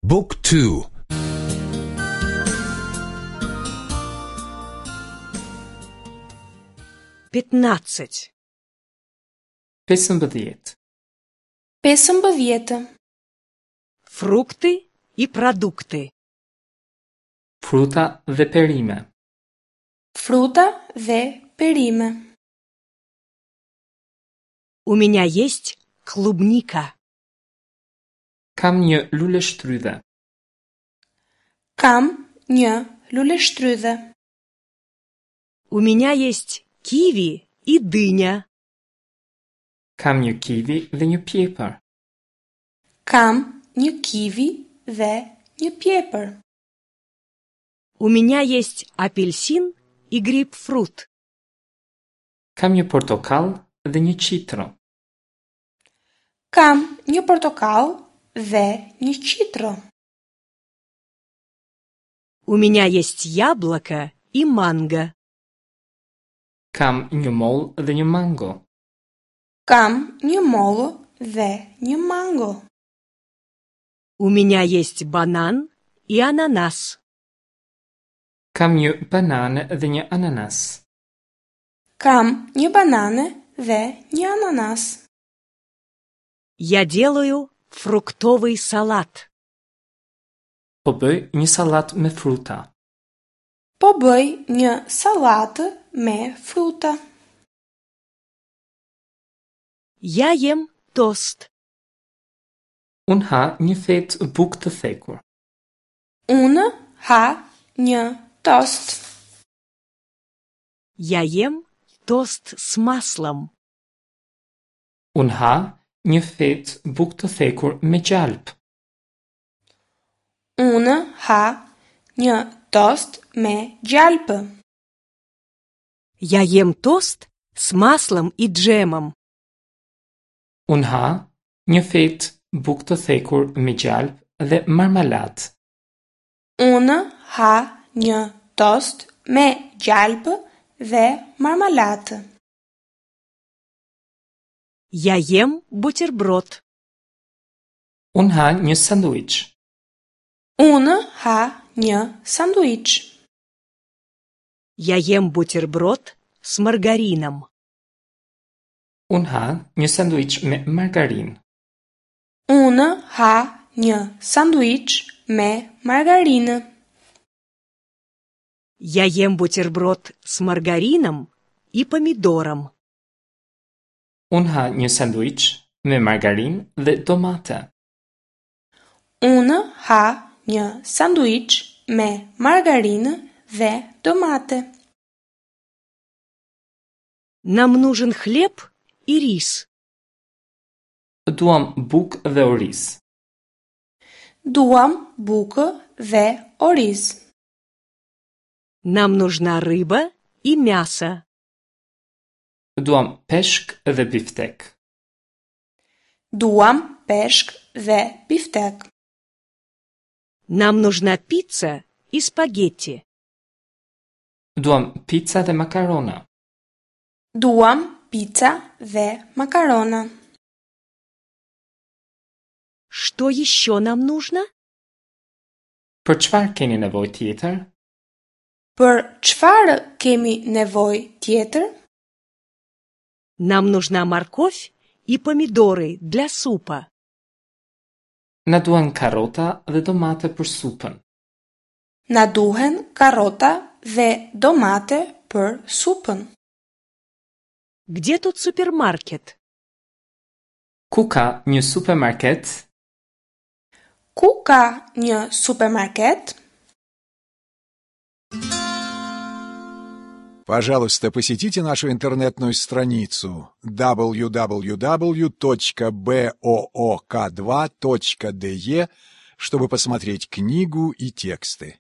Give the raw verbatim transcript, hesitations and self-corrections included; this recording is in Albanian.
Book two. Пятнадцать. Pesëmbëdhjetë. Pesëmbëdhjetë. Фрукты и продукты. Fruta dhe perime. Fruta dhe perime. У меня есть клубника. Kam një luleshtrydhe. Kam një luleshtrydhe. У меня есть киви и дыня. Kam një kivi dhe një pjepër. Kam një kivi dhe një pjepër. У меня есть апельсин и грейпфрут. Kam një portokall dhe një qitro. Kam një portokall dhe një qitro. У меня есть яблоко и манго. Kam një mollë dhe një mango. Kam një mollë dhe një mango. У меня есть банан и ананас. Kam një banane dhe një ananas. Kam një banane dhe një ananas. Я делаю фруктовый салат. Po bëj një sallatë me fruta. Po bëj një sallatë me fruta. Я ем тост. Unë ha një fetë bukë të thekur. Unë ha një tost. Я ем тост с маслом. Unë ha një fetë bukë të thekur me gjalp. Unë ha një tost me gjalpë. Я ем тост с маслом и джемом. Unë ha një fetë bukë të thekur me gjalp dhe marmalatë. Unë ha një tost me gjalpë dhe marmalatë. Я ем бутерброд. Unë ha një sanduiç. Unë ha një sanduiç. Я ем бутерброд с маргарином. Unë ha një sanduiç me margarinë. Unë ha një sanduiç me margarinë. Я ем бутерброд с маргарином и помидором. Unë ha një sanduiç me margarinë dhe domate. Unë ha një sanduiç me margarinë dhe domate. Нам нужен хлеб и рис. Duam bukë dhe oriz. Duam bukë dhe oriz. Нам нужна рыба и мясо. Duam peshk dhe biftek. Duam peshk dhe biftek. Нам нужна пицца и спагетти. Duam pica dhe makarona. Duam pica dhe makarona. Что еще нам нужно? Për çfarë keni nevojë tjetër? Për çfarë kemi nevojë tjetër? Нам нужна морковь и помидоры для супа. Na duhen karota dhe domate për supën. Na duhen karota dhe domate për supën. Где тут супермаркет? Ku ka një supermarket? Ku ka një supermarket? Пожалуйста, посетите нашу интернетную страницу дабл ю дабл ю дабл ю точка бэ о о ка два точка дэ е, чтобы посмотреть книгу и тексты.